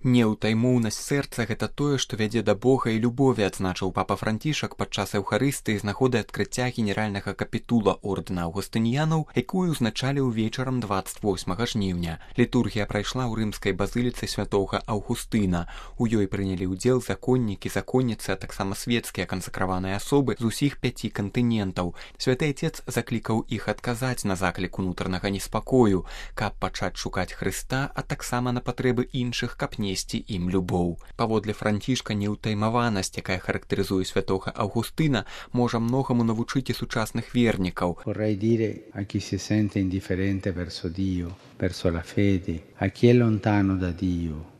Неўтаймоўнасць сэрца – гэта тое, што вядзе да Бога і любові, адзначыў папа Францішак падчас эўхарыстыі з нагоды адкрыцця генеральнага капітула ордэна аўгустыніянаў, якую ўзначаліў вечарам 28 жніўня. Літургія прайшла ў рымскай базыліцы святога Аўгустына. У ёй прынялі ўдзел законнікі, законніцы, а таксама светскія кансакраваныя асобы з усіх 5 кантынентаў. Святы Отец заклікаў іх адказаць на заклік унутранага неспакою, каб пачаць шукаць Хрыста, а таксама на патрэбы іншых, каб несці ім любоў. Паводле Францішка, неўтаймаванасць, якая характарызуе святога Аўгустына, можа многаму навучыць і сучасных вернікаў. Vorrei dire a chi si sente indifferente verso Dio, verso la fede, a chi è lontano da Dio.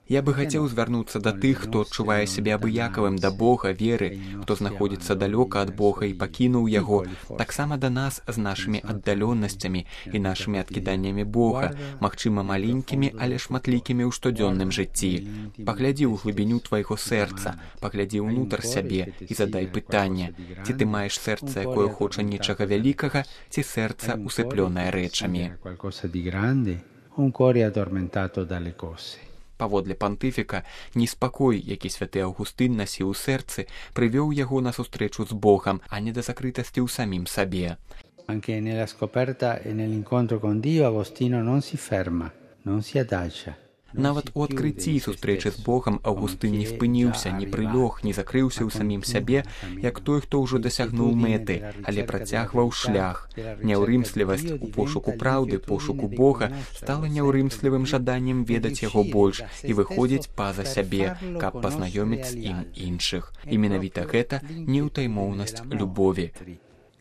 Я бы хацеў звярнуцца да тых, хто адчувае сябе абыякавым да Бога, веры, хто знаходзіцца далёка ад Бога і пакінуў яго, таксама да нас з нашымі аддаленнасцямі і нашымі адкіданнямі Бога, магчыма маленькімі, але шматлікімі ў штодзённым жыцці. Паглядзі ў глыбіню твайго сэрца, паглядзі ўнутр сябе і задай пытанне, ці ты маеш сэрца, якое хоча нечага вялікага, ці сэрца усыплёнае рэчамі. Un cuore addormentato dalle cose. Паводле пантыфіка, неспакой, які святы Аўгустын насіў у сэрцы, прывёў яго на сустрэчу з Богам, а не да закрытасці ў самім сабе. Anche nella scoperta e nell'incontro con Dio Agostino non si ferma, non si adagia. Нават у адкрыцці і сустрэчы з Богам Аўгустын не спыніўся, не прылёг, не закрыўся ў самім сябе, як той, хто ўжо дасягнуў мэты, але працягваў шлях. Няўрымслівасць у пошуку праўды, пошуку Бога стала няўрымслівым жаданнем ведаць яго больш і выходзіць па-за сябе, каб пазнаёміць з ім іншых. І менавіта гэта неўтаймоўнасць любові.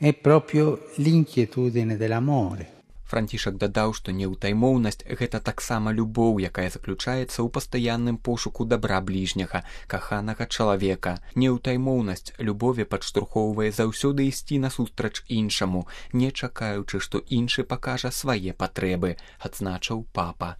È proprio l'inquietudine dell'amore. Францішак дадаў, што неўтаймоўнасць – гэта таксама любоў, якая заключаецца ў пастаянным пошуку дабра бліжняга, каханага чалавека. Неўтаймоўнасць любові падштурхоўвае заўсёды ісці насустрач іншаму, не чакаючы, што іншы пакажа свае патрэбы, адзначыў папа.